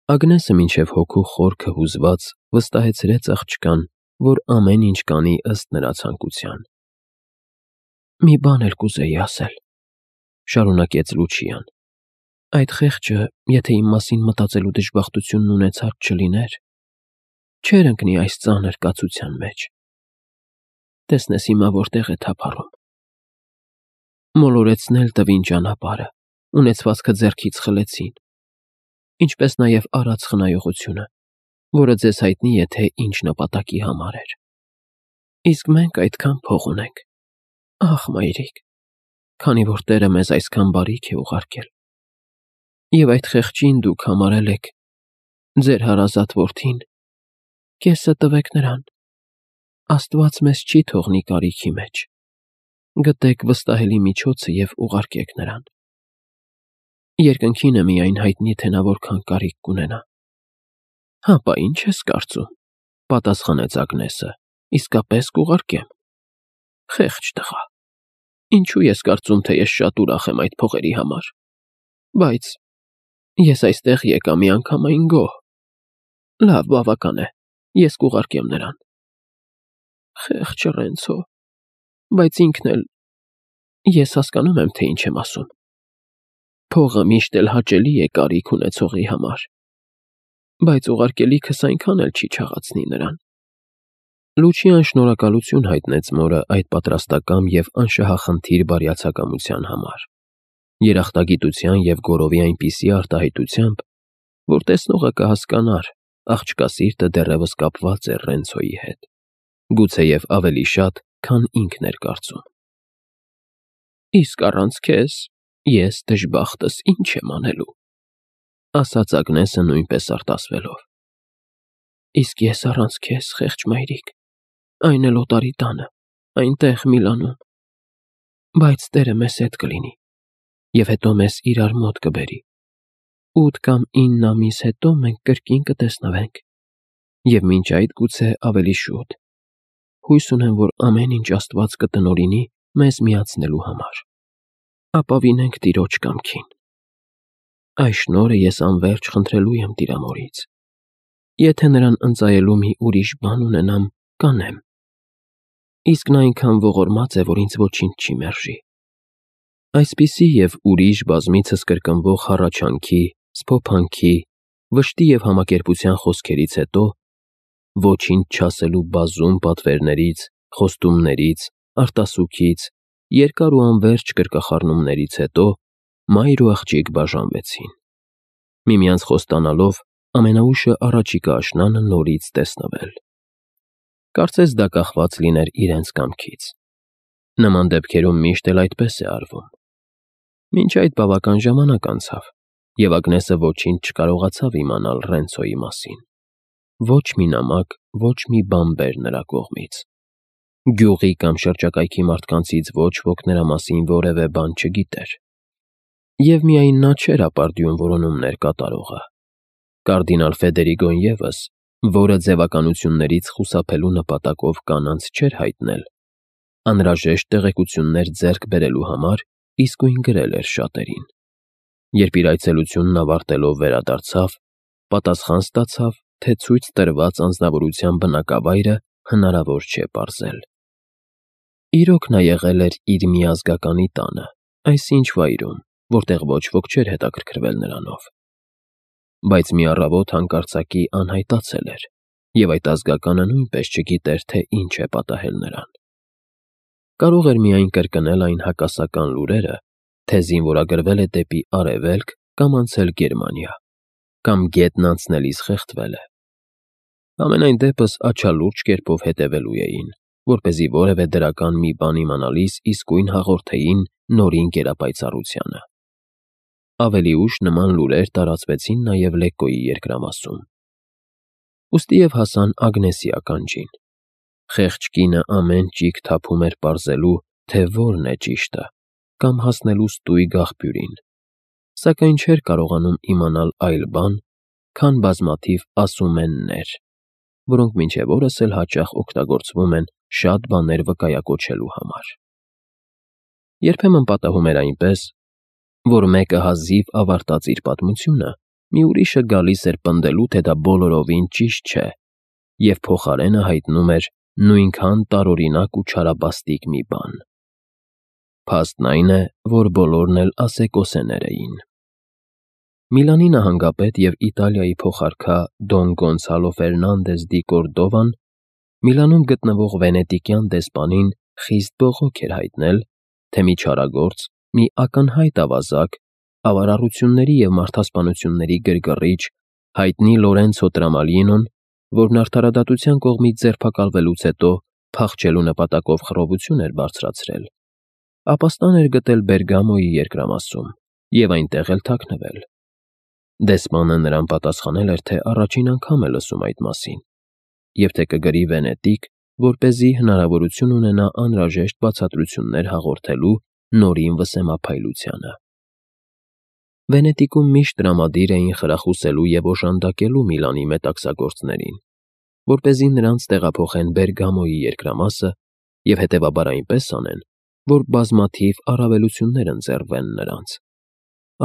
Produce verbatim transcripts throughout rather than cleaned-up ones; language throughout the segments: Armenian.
Ագնեսը մինչև հոգու խորքը հուզված վստահեցրեց աղջկան, որ ամեն ինչ կանի ըստ նրա ցանկության։ «Մի բան էլ կուզեի ասել,֊ շարունակեց Լուչիան,֊ այդ խեղճը, եթե իմ մասին մտածելու դժբախտությունն ունեցած չլիներ, չէր ընկնի այս ծանր կացության մեջ։ Տեսնես հիմա որտեղ է թափառում։ Մոլորեցնել տվին ճանապարհը, ունեցվածքը ձեռքից խլեցին, ինչպես նաև արած խնայողությունը, որը ձեզ հայտնի է, թե ինչ նպատակի համար էր։ Իսկ մենք այդքան փող ունենք, ախ, մայրիկ, քանի որ Տերը մեզ այսքան բարիք է ուղարկել։ Եվ այդ խեղճին դուք համարել եք ձեր հարազատ որդին, կեսը տվեք նրան։ Աստված մեզ չի թողնի կարիքի մեջ։ Գտեք վստահելի միջոցը և ուղարկեք նրան։ Երկնքին է միայն հայտնի, թե նա որքան կարիք կունենա։ Հապա ի՞նչ ես կարծում,֊ պատասխանեց Ագնեսը,֊ իսկապես կուղարկեմ։ Խեղճ տղա, ինչու ես կարծում, թե ես շատ ուրախ եմ այդ փողերի համար։ Բայց ես այստեղ եկա միանգամայն գոհ։ Լավ, բավական է, ես կուղարկեմ նրան։ Խեղճ Ռենցո, բայց ինքն էլ… Ես հասկանում եմ, թե ինչ եմ ասում։ Փողը միշտ էլ հաճելի է կարիք ունեցողի համար, բայց ուղարկելիքս այնքան էլ չի չաղացնի նրան։ Լուչիան շնորհակալություն հայտնեց մորը այդ պատրաստակամ և անշահախնդիր բարյացակամության համար, երախտագիտության և գոռովի այնպիսի արտահայտությամբ, որ տեսնողը կհասկանար, աղջկա սիրտը դեռևս կապված էր Ռենցոյի հետ, գուցեև ավելի շատ, քան ինքն էր կարծում։ Իսկ առանց քեզ ես դժբախտս ինչ եմ անելու,֊ ասաց Ագնեսը նույնպես արտասվելով։ Իսկ ես առանց քեզ, խեղճ մայրիկ, այն էլ օտարի տանը, այնտեղ Միլանում։ Բայց Տերը մեզ հետ կլինի, և հետո մեզ իրար մոտ կբերի։ Ութ կամ ինն ամիս հետո մենք կրկին կտեսնվենք, և մինչ այդ գուցե ավելի շուտ։ Հույս ունեմ, որ ամեն ինչ Աստված կտնօրինի մեզ միացնելու համար։ Ապավինենք Տիրոջ կամքին։ Այս շնորհը ես անվերջ խնդրելու եմ Տիրամորից։ Եթե նրան ընծայելու մի ուրիշ բան ունենամ, կանեմ։ Իսկ նա այնքան ողորմած է, որ ինձ ոչինչ չի մերժի։ Այսպիսի և ուրիշ բազմիցս կրկնվող հառաչանքի, սփոփանքի, վշտի և համակերպության խոսքերից հետո, ոչինչ չասելու բազում պատվերներից, խոստումներից, արտասուքից, երկար ու անվերջ կրկախառնումներից հետո մայր ու աղջիկ բաժանվեցին, միմյանց խոստանալով ամենաուշը առաջիկա աշնանը նորից տեսնվել։ Կարծես դա կախված լիներ իրենց կամքից։ Նման դեպքերում միշտ էլ այդպես է արվում։ Մինչ այդ բավական ժամանակ անցավ, և Ագնեսը ոչինչ չկարողացավ իմանալ Ռենցոյի մասին։ Ոչ մի նամակ, ոչ մի բանբեր նրա կողմից։ Գյուղի կամ շրջակայքի մարդկանցից ոչ ոք նրա մասին որևէ բան չգիտեր։ Եվ միայն նա չէր ապարդյուն որոնումներ կատարողը։ Կարդինալ Ֆեդերիգոն ևս, որը ձևականություններից խուսափելու նպատակով կանանց չէր հայտնել, անհրաժեշտ տեղեկություններ ձեռք բերելու համար իսկույն գրել էր շատերին։ Երբ իր այցելությունն ավարտելով վերադարձավ, պատասխան ստացավ, թե ցույց տրված անձնավորության բնակավայրը հնարավոր չէ պարզել։ Իրոք նա եղել էր իր միազգականի տանը, այսինչ վայրում, որտեղ ոչ ոք չէր հետաքրքրվել նրանով։ Բայց մի առավոտ հանկարծակի անհայտացել էր, և այդ ազգականը նույնպես չգիտեր, թե ինչ է պատահել նրան։ Կարող էր միայն կրկնել այն հակասական լուրերը, թե զինվորագրվել է դեպի Արևելք կամ անցել Գերմանիա, կամ գետն անցնելիս խեղդվել է։ Համենայն դեպս աչալուրջ կերպով հետևելու էին, որպեսզի որևէ դրական մի բան իմանալիս իսկույն հաղորդեին նորին գերապայծառությանը։ Ավելի ուշ նման լուրեր տարածվեցին նաև Լեկկոյի երկրամասում։ Ուստի և հասան Ագնեսի ականջին։ Խեղճ կինը ամեն ճիգ թափում էր պարզելու, թե որն է ճիշտը, կամ հասնելու ստույգ աղբյուրին, սակայն չէր կարողանում իմանալ այլ բան, քան բազմաթիվ ասումեններ, որոնք մինչև օրս էլ հաճախ օգտագործվում են շատ բաներ վկայակոչելու համար։ Երբեմն պատահում էր այնպես, որ մեկը հազիվ ավարտած իր պատմությունը, մի ուրիշը գալիս էր պնդելու, թե դա բոլորովին ճիշտ չէ, և փոխարենը հայտնում էր նույնքան տարօրինակ ու չարաբաստիկ մի բան։ Փաստն այն է, որ բոլորն էլ ասեկոսեներ էին։ Միլանի նահանգապետ և Իտալիայի փոխարքա Դոն Գոնսալո Ֆերնանդես դի Կորդովան Միլանում գտնվող վենետիկյան դեսպանին խիստ բողոք էր հայտնել, թե մի չարագործ, մի ակնհայտ ավազակ, ավարառությունների և մարդասպանությունների գրգռիչ, հայտնի Լորենցո Տրամալինոն, որն արդարադատության կողմից ձերբակալվելուց հետո փախչելու նպատակով խռովություն էր բարձրացրել, ապաստան էր գտել Բերգամոյի երկրամասում և այնտեղ էլ թաքնվել։ Դեսպանը նրան պատասխանել էր, թե առաջին անգամ է լսում այդ մասին, և թե կգրի Վենետիկ, որպեսզի հնարավորություն ունենա անհրաժեշտ բացատրություններ հաղորդելու Նորին վսեմափայլությանը։ Վենետիկում միշտ տրամադիր էին խրախուսելու և օժանդակելու Միլանի մետաքսագործներին, որպեսզի նրանց տեղափոխեն Բերգամոյի երկրամասը և հետևաբար այնպես անեն, որ բազմաթիվ առավելություններ ընձեռվեն նրանց,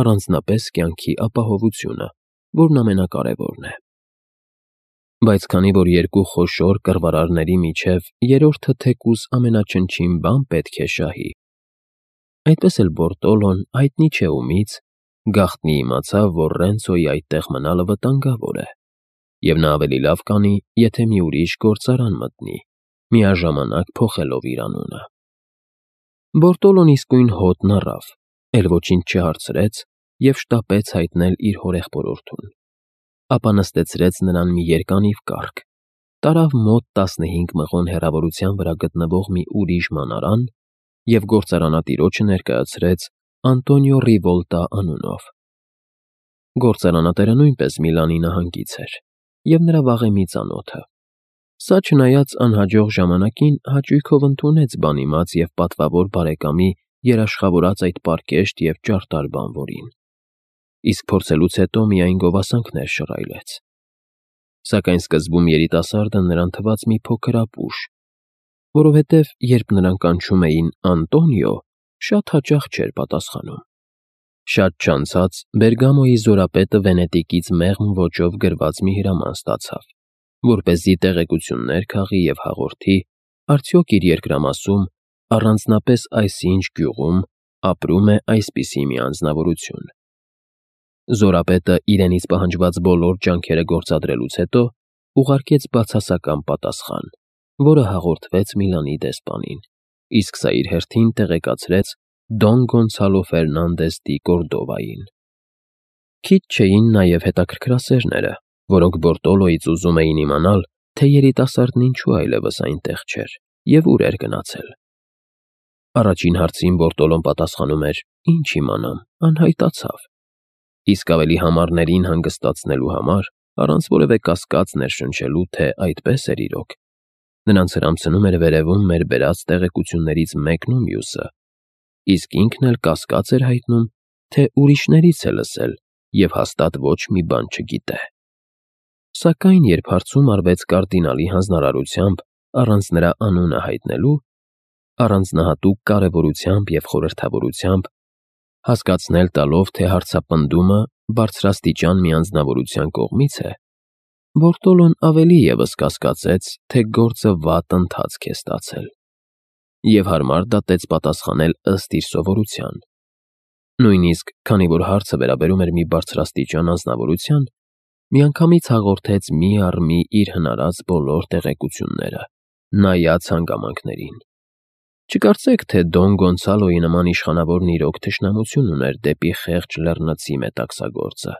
առանձնապես կյանքի ապահովությունը, որն ամենակարևորն է։ Բայց քանի որ երկու խոշոր կռվարարների միջև երրորդը թեկուզ ամենաչնչին բան պետք է շահի, այդպես էլ Բորտոլոն, հայտնի չէ ումից, գաղտնի իմացավ, որ Ռենցոյի այդտեղ մնալը վտանգավոր է, և նա ավելի լավ կանի, եթե մի ուրիշ գործարան մտնի, միաժամանակ փոխելով իր անունը։ Բորտոլոն իսկույն հոտն առավ, էլ ոչինչ չհարցրեց և շտապեց հայտնել իր հորեղբորորդուն, ապա նստեցրեց նրան մի երկանիվ կառք, տարավ մոտ տասնհինգ մղոն հեռավորության վրա գտնվող մի ուրիշ մանարան և գործարանատիրոջը ներկայացրեց Անտոնիո Ռիվոլտա անունով։ Գործարանատերը նույնպես Միլանի նահանգից էր և նրա վաղեմի ծանոթը։ Սա չնայած անհաջող ժամանակին հաճույքով ընդունեց բանիմաց և պատվավոր բարեկամի երաշխավորած այդ պարկեշտ և ճարտար բանվորին, իսկ փորձելուց հետո միայն գովասանքներ շռայլեց։ Սակայն սկզբում երիտասարդը նրան թվաց մի փոքր ապուշ, որովհետև երբ նրան կանչում էին Անտոնիո, շատ հաճախ չէր պատասխանում։ Շատ չանցած Բերգամոյի զորապետը Վենետիկից մեղմ ոճով գրված մի հրաման ստացավ, որպեսզի տեղեկություններ քաղի և հաղորդի, արդյոք իր երկրամասում, առանձնապես այսինչ գյուղում, ապրում է այսպիսի մի անձնավորություն։ Զորապետը իրենից պահանջված բոլոր ջանքերը գործադրելուց հետո ուղարկեց բացասական պատասխան, որը հաղորդվեց Միլանի դեսպանին, իսկ սա իր հերթին տեղեկացրեց Դոն Գոնսալո Ֆերնանդես դի Կորդովային։ Քիչ չէին նաև հետաքրքրասերները, որոնք Բորտոլոյից ուզում էին իմանալ, թե երիտասարդն ինչու այլևս այնտեղ չէր և ուր էր գնացել։ Առաջին հարցին Բորտոլոն պատասխանում էր. «Ինչ իմանամ, անհայտացավ», իսկ ավելի համառներին հանգստացնելու համար, առանց որևէ կասկած ներշնչելու, թե այդպես էր իրոք, նրանց հրամցնում էր վերևում մեր բերած տեղեկություններից մեկն ու մյուսը, իսկ ինքն էլ կասկած էր հայտնում, թե ուրիշներից է լսել և հաստատ ոչ մի բան չգիտե։ Սակայն երբ հարցում արվեց կարդինալի հանձնարարությամբ առանց նրա անունը հայտնելու, առանձնահատուկ կարևորությամբ և խորհրդավորությամբ, հասկացնել տալով, թե հարցապնդումը բարձրաստիճան մի անձնավորության կողմից է, Բորտոլոն ավելի ևս կասկածեց, թե գործը վատ ընթացք է ստացել և հարմար դատեց պատասխանել ըստ իր սովորության։ Նույնիսկ, քանի որ հարցը վերաբերում էր մի բարձրաստիճան անձնավորության, միանգամից հաղորդեց մի առ մի իր հնարած բոլոր տեղեկությունները, նայած հանգամանքներին։ Չկարծեք, թե Դոն Գոնսալոյի նման իշխանավորն իրոք թշնամություն ուներ դեպի խեղճ լեռնցի մետաքսագործը,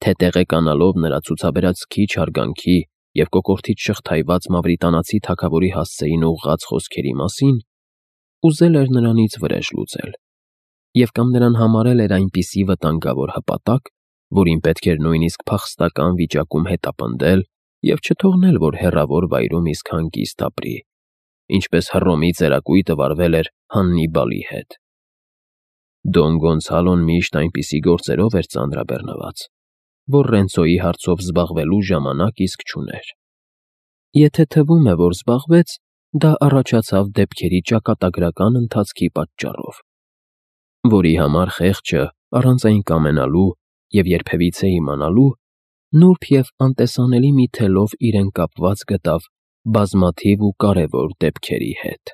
թե տեղեկանալով նրա ցուցաբերած քիչ հարգանքի և կոկորդից շղթայված մավրիտանացի թագավորի հասցեին ուղղած խոսքերի մասին, ուզել էր նրանից վրեժ լուծել և կամ նրան համարել էր այնպիսի վտանգավոր հպատակ, որին պետք էր նույնիսկ փախստական վիճակում հետապնդել և չթողնել, որ հեռավոր վայրում իսկ հանգիստ ապրի, ինչպես Հռոմի ծերակույտը վարվել էր Հաննիբալի հետ։ Դոն Գոնսալոն միշտ այնպիսի գործերով էր ծանրաբեռնված, որ Ռենցոյի հարցով զբաղվելու ժամանակ իսկ չուներ։ Եթե թվում է, որ զբաղվեց, դա առաջացավ դեպքերի ճակատագրական ընթացքի պատճառով, որի համար խեղճը, առանց այն կամենալու, և երբևիցե իմանալու, նուրբ և անտեսանելի մի թելով իրեն կապված գտավ բազմաթիվ ու կարևոր դեպքերի հետ։